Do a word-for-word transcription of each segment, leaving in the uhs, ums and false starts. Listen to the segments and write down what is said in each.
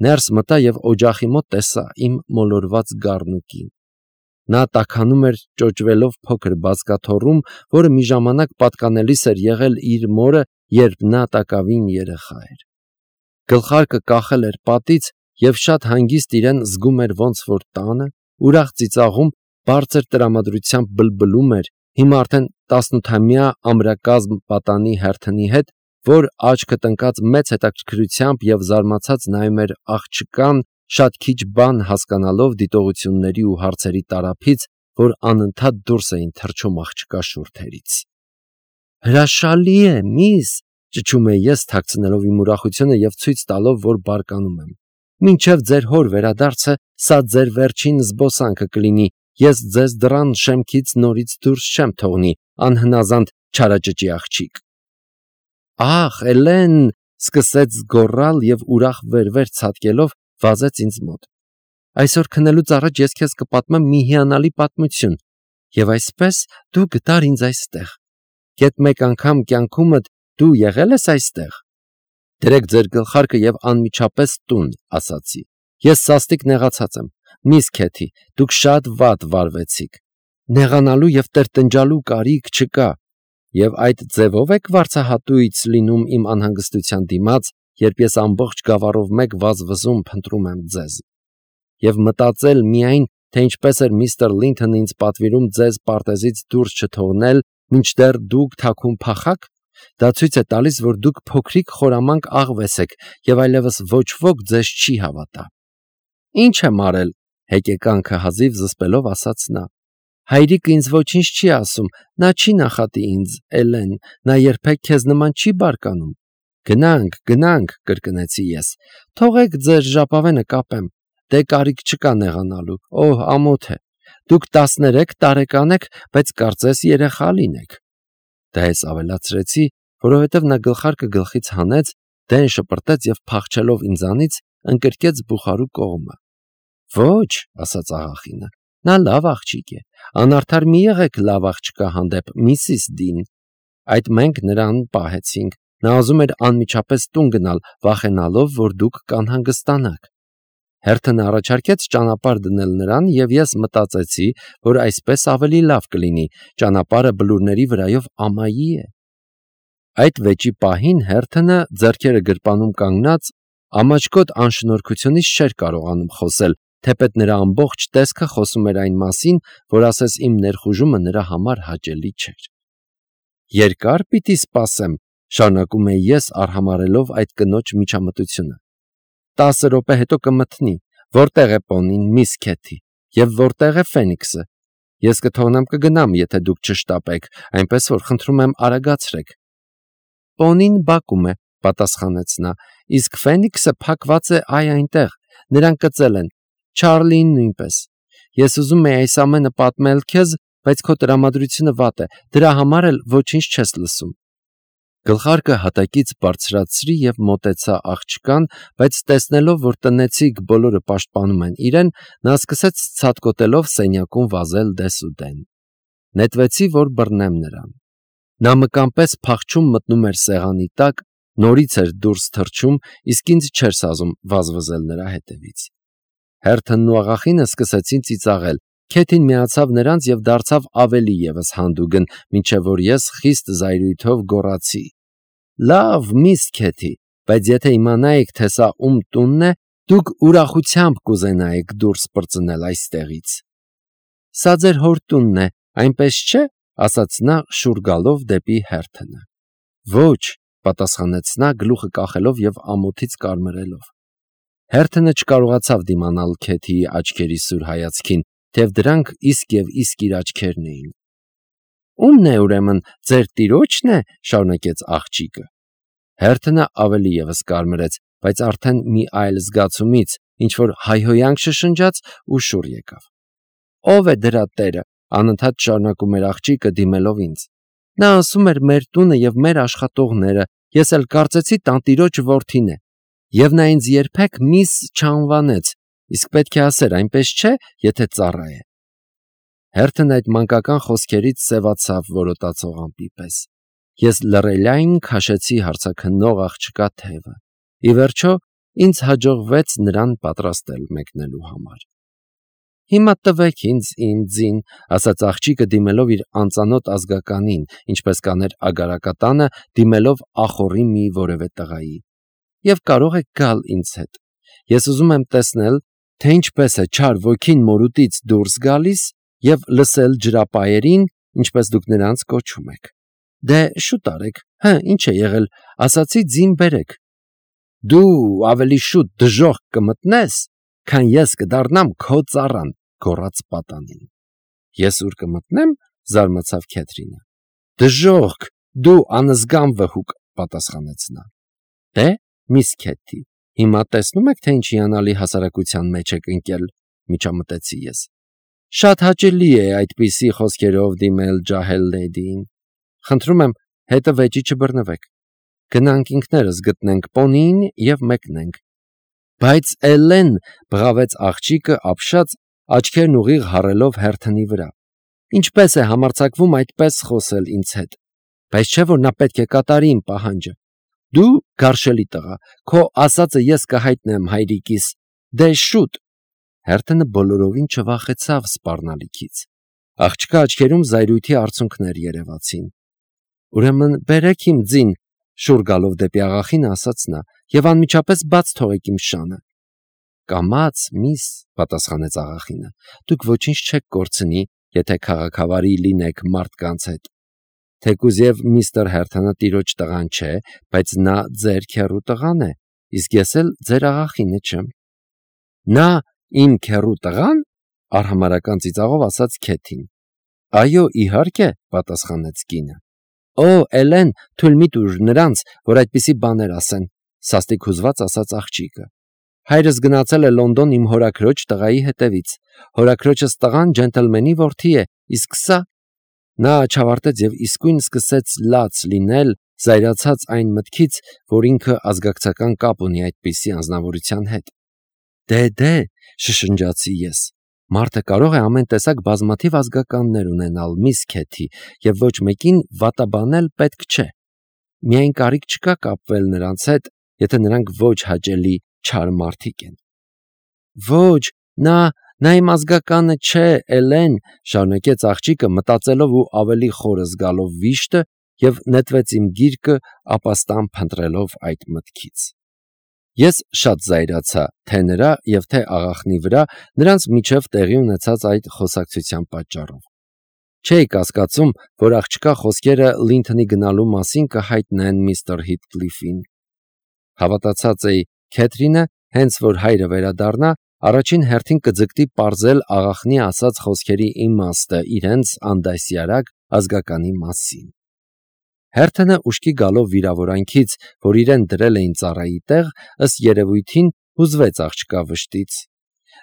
Ներս մտա և օջախի մոտ տեսա իմ մոլորված գառնուկին։ Նա տաքանում էր ճոճվելով փոքր բազկաթոռում, որը մի ժամանակ պատկանելիս էր եղել իր մորը, երբ նա տակավին երեխա էր։ Գլխարկը կախել էր պատից և շատ հանգիստ իրեն զգում էր ոնց որ տանը, ուրախ ծիծաղում, բարձր տրամադրությամբ բլբլում էր, հիմա արդեն տասնութամյա ամրակազմ պատանի Հերթոնի հետ, որ աչքը տնկած մեծ հետաքրքրությամբ և զարմացած նայում էր աղջկան, շատ քիչ բան հասկանալով դիտողությունների ու հարցերի տարափից, որ անընդհատ դուրս էին թռչում աղջկա շուրթերից։ «Հրաշալի է, միս», ճչում էի ես, թաքցնելով իմ ուրախությունը և ցույց տալով, որ բարկանում եմ։ «Մինչև ձեր հոր վերադարձը սա ձեր վերջին զբոսանքը կլինի, ես ձեզ դռան շեմքից նորից դուրս չեմ թողնի, անհնազանդ չարաճճի աղջիկ»։ «Ախ, Էլեն», սկսեց գոռալ և ուրախ վեր-վեր ցատկելով վազեց ինձ մոտ։ «Այսօր քնելուց առաջ ես քեզ կպատմեմ մի հիանալի պատմություն, և այսպես դու գտար ինձ այստեղ։ Գեթ մեկ անգամ կյանքումդ դու եղե՞լ ես այստեղ»։ «Դրեք ձեր գլխարկը և անմիջապես տուն», ասացի։ «Ես սաստիկ նեղացած եմ, միս Քեթի, դուք շատ վատ վարվեցիք։ Նեղանալու և տրտնջալու կարիք չկա։ Եվ այդ ձևով եք վարձահատույց լինում իմ անհանգստության դիմաց, երբ ես ամբողջ գավառով մեկ վազվզում փնտրում եմ ձեզ։ Եվ մտածել միայն, թե ինչպես էր միստր Լինթոնը ինձ պատվիրում ձեզ պարտեզից դուրս չթողնել, մինչդեռ դուք թաքուն փախաք, դա ցույց է տալիս, որ դուք փոքրիկ խորամանկ աղվես եք, և այլևս ոչ ոք ձեզ չի հավատա»։ «Ինչ եմ արել», հեկեկանքը հազիվ զսպելով ասաց նա։ «Հայրիկը ինձ ոչինչ չի ասում, նա չի նախատի ինձ, Էլեն, նա երբեք քեզ նման չի բարկանում»։ «Գնանք, գնանք», կրկնեցի ես, «թողեք ձեր ժապավենը կապեմ, դե կարիք չկա նեղանալու, օհ, ամոթ է, դուք տասներեք տարեկան եք, բայց կարծես երեխա լինեք»։ Դա ես ավելացրեցի, որովհետև նա գլխարկը գլխից հանեց, դեն շպրտեց և փախչելով ինձանից, ընկրկեց բուխարու կողմը։ «Ոչ», ասաց աղախինը, «նա լավ աղջիկ է, անարդար մի եղեք լավ աղջկա հանդեպ, միսիս Դին»։ Այդ մենք նրան պահեցինք, նա ուզում էր անմիջապես տուն գնալ, վախենալով, որ դուք կանհանգստանաք։ Հերթոնը առաջարկեց ճանապարհ դնել նրան, և ես մտածեցի, որ այսպես ավելի լավ կլինի, ճանապարհը բլուրների վրայով ամայի է։ Այդ վեճի պահին Հերթոնը, ձեռքերը գրպանում կանգնած, ամաչկոտ անշնորհքությունից չէր կարողանում խոսել, թեպետ նրա ամբողջ տեսքը խոսում էր այն մասին, որ ասես իմ ներխուժումը նրա համար հաճելի չէր։ «Երկա՞ր պիտի սպասեմ», շարունակում էի ես, արհամարհելով այդ կնոջ միջամտությունը։ «Տասը րոպե հետո կմթնի։ Որտե՞ղ է պոնին, միս Քեթի, և որտե՞ղ է Ֆենիքսը։ Ես կթողնեմ կգնամ, եթե դուք չշտապեք, այնպես որ խնդրում եմ արագացրեք»։ «Պոնին բակում է», պատասխանեց նա, «իսկ Ֆենիքսը փակված է այ այնտեղ, նրան կծել են, Չարլին նույնպես։ Ես ուզում էի այս ամենը պատմել քեզ, բայց քո տրամադրությունը վատ է, դրա համար էլ ոչինչ չես լսում»։ Գլխարկը հատակից բարձրացրի և մոտեցա աղջկան, բայց տեսնելով, որ տնեցիք բոլորը պաշտպանում են իրեն, նա սկսեց ցատկոտելով սենյակում վազել դեսուդեն։ Նետվեցի, որ բռնեմ նրան։ Նա մկան պես փախչում մտնում էր սեղանի տակ, նորից էր դուրս թռչում, իսկ ինձ չէր սազում վազվզել նրա հետևից։ Հերթոնն ու աղախինը սկսեցին ծիծաղել։ Քեթին միացավ նրանց և դարձավ ավելի ևս հանդուգն, մինչև որ ես խիստ զայրույթով գոռացի. «Լավ, միս Քեթի, բայց եթե իմանայիք, թե սա ում տունն է, դուք ուրախությամբ կուզենայիք դուրս պրծնել այստեղից»։ «Սա ձեր հոր տունն է, այնպես չէ», ասաց նա, շուռ գալով դեպի Հերթոնը։ «Ոչ», պատասխանեց նա, գլուխը կախելով և ամոթից կարմրելով։ Հերթոնը չկարողացավ դիմանալ Քեթիի աչքերի սուր հայացքին, թեև դրանք իսկ և իսկ իր աչքերն էին։ «Ո՞ւմն է, ուրեմն, ձեր տիրոջն է», շարունակեց աղջիկը։ Հերթոնը ավելի ևս կարմրեց, բայց արդեն մի այլ զգացումից, ինչ-որ հայհոյանք շշնջաց ու շուռ եկավ։ «Ո՞վ է դրա տերը», անընդհատ շարունակում էր աղջիկը, դիմելով ինձ։ «Նա ասում էր մեր տունը և մեր աշխատողները, ես էլ կարծեցի տանտիրոջ որդին է։ Եվ նա ինձ երբեք միս չանվանեց, իսկ պետք է ասեր, այնպես չէ, եթե ծառա է»։ Հերթոնը այդ մանկական խոսքերից սևացավ որոտացող ամպի պես։ Ես լռելիայն քաշեցի հարցաքննող աղջկա թևը։ Ի վերջո, ինձ հաջողվեց նրան պատրաստել մեկնելու համար։ Հիմա տվեք ինձ ինձին, ասաց աղջիկը դիմելով իր անծանոթ ազգականին, ինչպես կաներ ագարակատանը դիմելով ախորի մի որևէ տղայի։ Եվ կարող եք գալ ինձ հետ։ Ես ուզում եմ տեսնել, թե ինչպես է չար ոգին մորուտից դուրս գալիս եւ լսել ջրապայերին, ինչպես դուք նրանց կոչում եք։ Դե շուտ արեք, հը, ինչ է եղել, ասացի ձին բերեք։ Դու ավելի շուտ դժոխք կմտնես, քան ես կդառնամ քո ծառան, գոռաց պատանին։ Ես ուր կմտնեմ, զարմացավ Քեթրինը։ Դժոխք, դու անզգամ վհուկ, պատասխանեց նա։ Դե, միս Քեթի, հիմա տեսնում եք, թե ինչ հիանալի հասարակության մեջ եք ընկել, միջամտեցի ես։ Շատ հաճելի է այդպիսի խոսքերով դիմել ջահել լեդիին։ Խնդրում եմ, հետը վեճի չբռնվեք։ Գնանք ինքներս գտնենք պոնիին եւ մեկնենք։ Բայց Էլեն, բղավեց աղջիկը ապշած, աչքերն ուղիղ հառելով Հերթոնի վրա։ Ինչպես է համարձակվում այդպես խոսել ինձ հետ։ Բայց չէ՞ որ նա պետք է կատարի իմ պահանջը։ Դու գարշելի տղա, քո ասածը ես կհայտնեմ հայրիկիս։ Դե շուտ։ Հերթոնը բոլորովին չվախեցավ սպառնալիքից։ Աղջկա աչքերում զայրույթի արցունքներ երևացին։ Ուրեմն բերեք իմ ձին, շուռ գալով դեպի աղախինը ասաց նա, եւ անմիջապես բաց թողեք իմ շանը։ Կամաց, միս, պատասխանեց աղախինը, դուք ոչինչ չեք կորցնի, եթե քաղաքավարի լինեք մարդկանց հետ։ Թեկուզ եւ միստր Հերթոնը տիրոջ տղան չէ, բայց նա ձեր քեռու տղան է, իսկ ես էլ ձեր աղախինը չեմ։ Նա իմ քեռու տղան, արհամարական ծիծաղով ասաց Քեթին։ Այո, իհարկե, պատասխանեց կինը։ Օ, Էլեն, թույլ մի տուր նրանց, որ այդպիսի բաներ ասեն, սաստիկ հուզված ասաց աղջիկը։ Հայրս գնացել է Լոնդոն իմ հորաքրոջ տղայի հետևից։ Հորաքրոջս տղան ջենտլմենի որդի է, իսկ սա… Նա չավարտեց եւ իսկույն սկսեց լաց լինել, զայրացած այն մտքից, որ ինքը ազգակցական կապ ունի այդպիսի անձնավորության հետ։ Դե, դե, շշնջացի ես։ Մարդը կարող է ամեն տեսակ բազմաթիվ ազգականներ ունենալ, միս Քեթի, եւ ոչ մեկին վատաբանել պետք չէ։ Միայն կարիք չկա կապվել նրանց հետ, եթե նրանք ոչ հաճելի չար մարդիկ են։ Ոչ, նա, նա իմ ազգականը չէ, Էլեն, շարունակեց աղջիկը մտածելով ու ավելի խորը զգալով վիշտը եւ նետվեց իմ գիրկը ապաստան փնտրելով այդ մտքից։ Ես շատ զայրացա թե նրա եւ թե աղախնի վրա նրանց միջև տեղի ունեցած այդ խոսակցության պատճառով։ Չէի կասկածում, որ աղջկա խոսքերը Լինթոնի գնալու մասին կհայտնեն միստր Հիթկլիֆին։ Հավատացած էի, Քեթրինը, հենց որ հայրը վերադառնա, առաջին հերթին կձգտի պարզել աղախնի ասած խոսքերի իմաստը իրենց անդասյարակ ազգականի մասին։ Հերթոնը ուշքի գալով վիրավորանքից, որ իրեն դրել էին ծառայի տեղ, ըստ երևույթին հուզվեց աղջկա վշտից։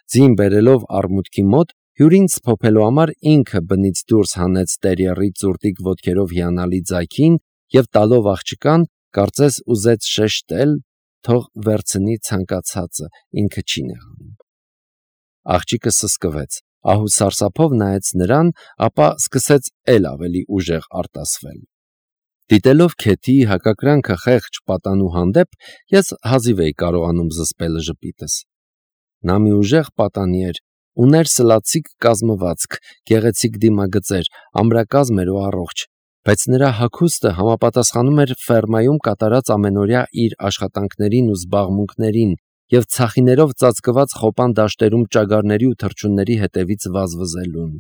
Ձին բերելով արմուտքի մոտ, հյուրին սփոփելու համար ինքը բնից դուրս հանեց տերիերի ծուրտիկ ոտքերով հիանալի ձայքին եւ տալով աղջկան, կարծես ուզեց շեշտել, թող վերցնի ցանկացածը, ինքը չի նեղանում։ Աղջիկը սսկվեց, ահու սարսափով նայեց նրան, ապա սկսեց էլ ավելի ուժեղ արտասվել։ Դիտելով Քեթիի հակակրանքը խեղճ պատանու հանդեպ, ես հազիվ էի կարողանում զսպել ժպիտս։ Նա մի ուժեղ պատանի էր, ուներ սլացիկ կազմվածք, գեղեցիկ դիմագծեր, ամրակազմ էր ու առողջ, բայց նրա հագուստը համապատասխանում էր ֆերմայում կատարած ամենօրյա իր աշխատանքներին ու զբաղմունքներին եւ ցախիներով ծածկված խոպան դաշտերում ճագարների ու թռչունների հետևից վազվզելուն։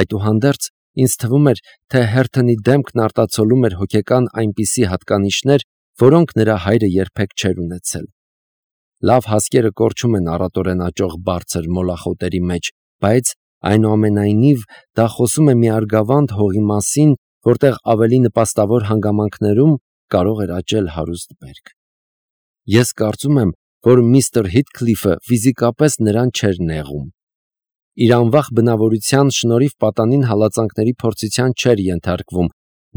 Այդուհանդերձ ինձ թվում էր, թե Հերթոնի դեմքն արտացոլում էր հոգեկան այնպիսի հատկանիշներ, որոնք նրա հայրը երբեք չէր ունեցել։ Լավ հասկերը կորչում են առատորեն աճող բարձր մոլախոտերի մեջ, բայց այնուամենայնիվ դա խոսում է մի արգավանդ հողի մասին, որտեղ ավելի նպաստավոր հանգամանքներում կարող էր աճել հարուստ բերք։ Ես կարծում եմ, որ միստր Հիթկլիֆը ֆիզիկապես նրան չէր նեղում։ Իր անվախ բնավորության շնորհիվ պատանին հալածանքների փորձության չէր ենթարկվում,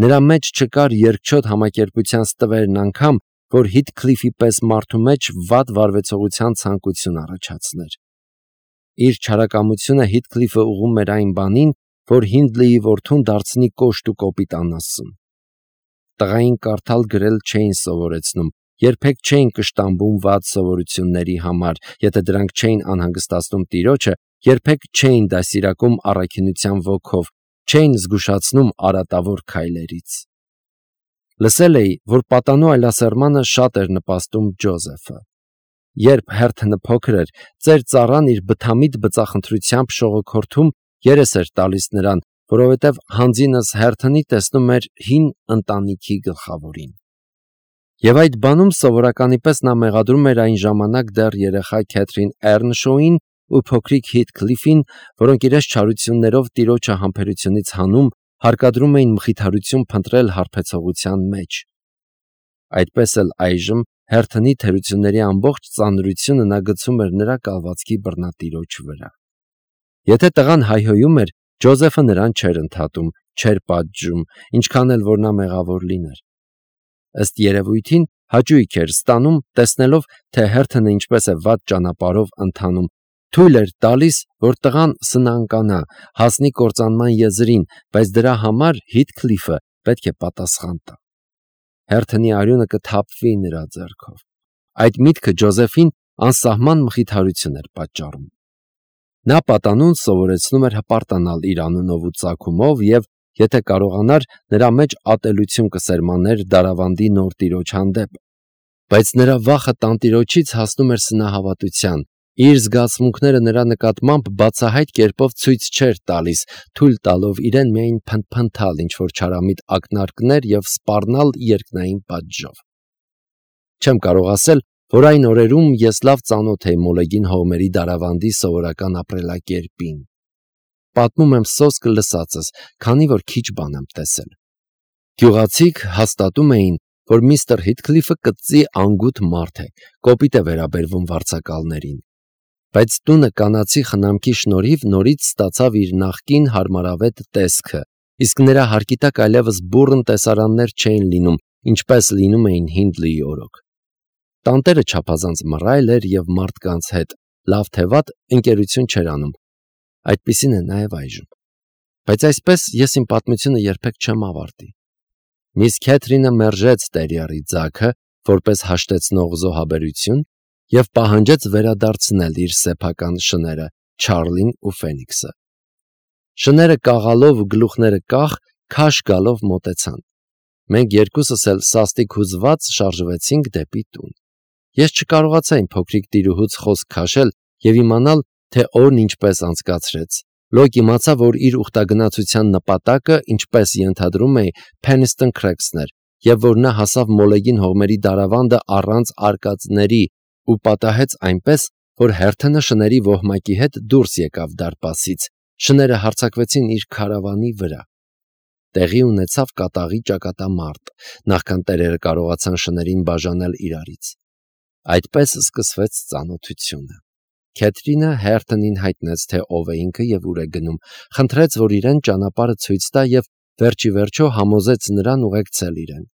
նրա մեջ չկար երկչոտ համակերպության ստվերն անգամ, որ Հիթկլիֆի պես մարդու մեջ վատ վարվեցողության ցանկություն առաջացներ։ Իր չարակամությունը Հիթկլիֆը ուղղում էր այն բանին, որ Հինդլեի որդուն դարձնի կոշտ ու կոպիտ անասուն։ Տղային կարդալ գրել չէին սովորեցնում, երբեք չէին կշտամբում վատ սովորությունների համար, եթե դրանք չէին անհանգստացնում տիրոջը, երբեք չէին դասիրակում առաքինության ոգով, չէին զգուշացնում արատավոր քայլերից։ Լսել էի, որ պատանու այլասերմանը շատ էր նպաստում Ջոզեֆը։ Երբ Հերթոնը փոքր էր, ծեր ծառան իր բթամիտ բծախնդրությամբ շողոքորթում երես էր տալիս նրան, որովհետև հանձինս Հերթոնի տեսնում էր հին ընտանիքի գլխավորին։ Եվ այդ բանում սովորականի պես նա մեղադրում էր այն ժամանակ դեռ երեխա Քեթրին Էռնշոուին ու փոքրիկ Հիթքլիֆին, որոնք իրենց չարություններով տիրոջը համբերությունից հանում, հարկադրում էին մխիթարություն փնտրել հարբեցողության մեջ։ Այդպես էլ այժմ Հերթոնի թերությունների ամբողջ ծանրությունը նա գցում էր նրա կալվածքի բռնատիրոջ վրա։ Եթե տղան հայհոյում էր, Ջոզեֆը նրան չէր ընդհատում, չէր պատժում, ինչքան էլ որ նա մեղավոր լիներ։ Ըստ երևույթին հաճույք էր ստանում, տեսնելով, թե Հերթոնը ինչպես է վատ ճանապարհով ընթանում, թույլ էր տալիս, որ տղան սնանկանա, հասնի կործանման եզրին, բայց դրա համար Հիթքլիֆը պետք է պատասխան տա։ Հերթոնի արյունը կթափվի նրա ձեռքով։ Այդ միտքը Ջոզեֆին անսահման մխիթարություն էր պատճառում։ Նա պատանուն սովորեցնում էր հպարտանալ իր անունով ու ծագումով և, եթե կարողանար, նրա մեջ ատելություն կսերմաներ Դարավանդի նոր տիրոջ հանդեպ, բայց նրա վախը տանտիրոջից հասնում էր սնահավատության, իր զգացմունքները նրա նկատմամբ բացահայտ կերպով ցույց չէր տալիս, թույլ տալով իրեն միայն փնթփնթալ ինչ-որ չարամիտ ակնարկներ և սպառնալ երկնային պատժով։ Չեմ կարող ասել, որ այն օրերում ես լավ ծանոթ էի Մոլեգին հողմերի Դարավանդի սովորական ապրելակերպին։ Պատմում եմ սոսկ լսածս, քանի որ քիչ բան եմ տեսել։ Գյուղացիք հաստատում էին, որ միստր Հիթքլիֆը կծի անգութ մարդ է, կոպիտ է վերաբերվում վարձակալներին, բայց տունը կանացի խնամքի շնորհիվ նորից ստացավ իր նախկին հարմարավետ տեսքը, իսկ նրա հարկի տակ այլևս բուռն տեսարաններ չէին լինում, ինչպես լինում էին Հինդլիի օրոք։ Տանտերը չափազանց մռայլ էր և մարդկանց հետ, լավ թե վատ, ընկերություն չէր անում։ Այդպիսին է նաև այժմ։ Բայց այսպես ես իմ պատմությունը երբեք չեմ ավարտի։ Միս Քեթրինը մերժեց տերիարի ձագը, որպես հաշտեցնող զոհաբերություն, և պահանջեց վերադարձնել իր սեփական շները՝ Չարլին ու Ֆենիքսը։ Շները կաղալով ու գլուխները կախ, քաշ գալով մոտեցան։ Մենք երկուսս էլ սաստիկ հուզված շարժվեցինք դեպի տուն։ Ես չկարողացա իմ փոքրիկ տիրուհուց խոսք քաշել և իմանալ, թե օրն ինչպես անցկացրեց։ Լոկ իմացա, որ իր ուխտագնացության նպատակը, ինչպես ենթադրում էի, Փենիստոն Քրեքսն էր, և որ նա հասավ Մոլեգին հողմերի Դարավանդը առանց արկածների ու պատահեց այնպես, որ Հերթոնը շների ոհմակի հետ դուրս եկավ դարպասից, շները հարձակվեցին իր քարավանի վրա։ Տեղի ունեցավ կատաղի ճակատամարտ, նախքան տերերը կարողացան շներին բաժանել իրարից։ Այդպես սկսվեց ծանոթությունը։ Քեթրինը Հերթոնին հայտնեց, թե ով է ինքը և ուր է գնում, խնդրեց, որ իրեն ճանապարհը ցույց տա և վերջիվերջո համոզեց նրան ուղեկցել իրեն։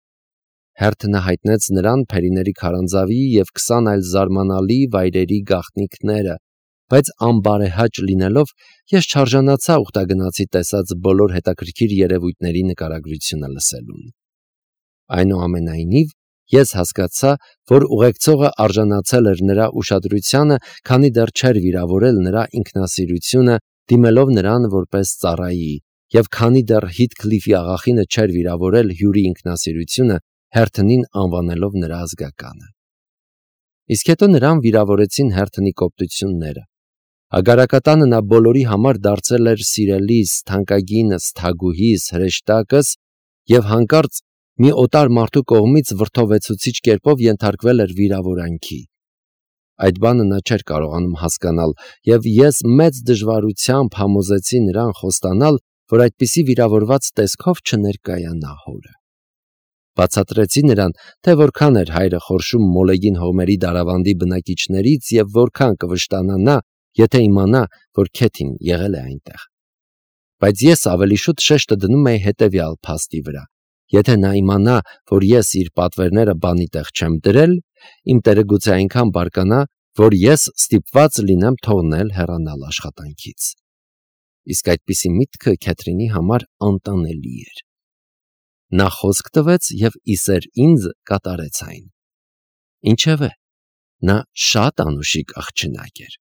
Հերթոնը հայտնեց նրան Փերիների քարանձավի և քսան այլ զարմանալի վայրերի գաղտնիքները, բայց անբարեհաճ լինելով, ես չարժանացա ուխտագնացի տեսած բոլոր հետաքրքիր երևույթների նկարագրությունը լսելուն։ Այնուամենայնիվ, ես հասկացա, որ ուղեկցողը արժանացել էր նրա ուշադրությանը, քանի դեռ չէր վիրավորել նրա ինքնասիրությունը, դիմելով նրան որպես ծառայի, և քանի դեռ Հիթքլիֆի աղախինը չէր վիրավորել հյուրի ինքնասիրությունը, Հերթոնին անվանելով նրա ազգականը։ Իսկ հետո նրան վիրավորեցին Հերթոնի կոպտությունները։ Հագարակատանը նա բոլորի համար դարձել էր սիրելիս, թանկագինս, թագուհիս, հրեշտակս և հանկարծ մի օտար մարդու կողմից վրդովեցուցիչ կերպով ենթարկվել էր վիրավորանքի։ Այդ բանը նա չէր կարողանում հասկանալ, և ես մեծ դժվարությամբ համոզեցի նրան խոստանալ, որ այդպիսի վիրավորված տեսքով չներկայանա հորը։ Բացատրեցի նրան, թե որքան էր հայրը խորշում Մոլեգին հողմերի Դարավանդի բնակիչներից և որքան կվշտանա, եթե իմանա, որ Քեթին եղել է այնտեղ։ Բայց ես ավելի շուտ շեշտը դնում էի հետևյալ փաստի վրա. եթե նա իմանա, որ ես իր պատվերները բանի տեղ չեմ դրել, իմ տերը գուցե այնքան բարկանա, որ ես ստիպված լինեմ թողնել հեռանալ աշխատանքից։ Իսկ այդպիսի միտքը Քեթրինի համար անտանելի էր։ Նա խոսք տվեց և իսեր ինձ կատարեց այն։ Ինչևէ, նա շատ անուշիկ աղջնակ էր։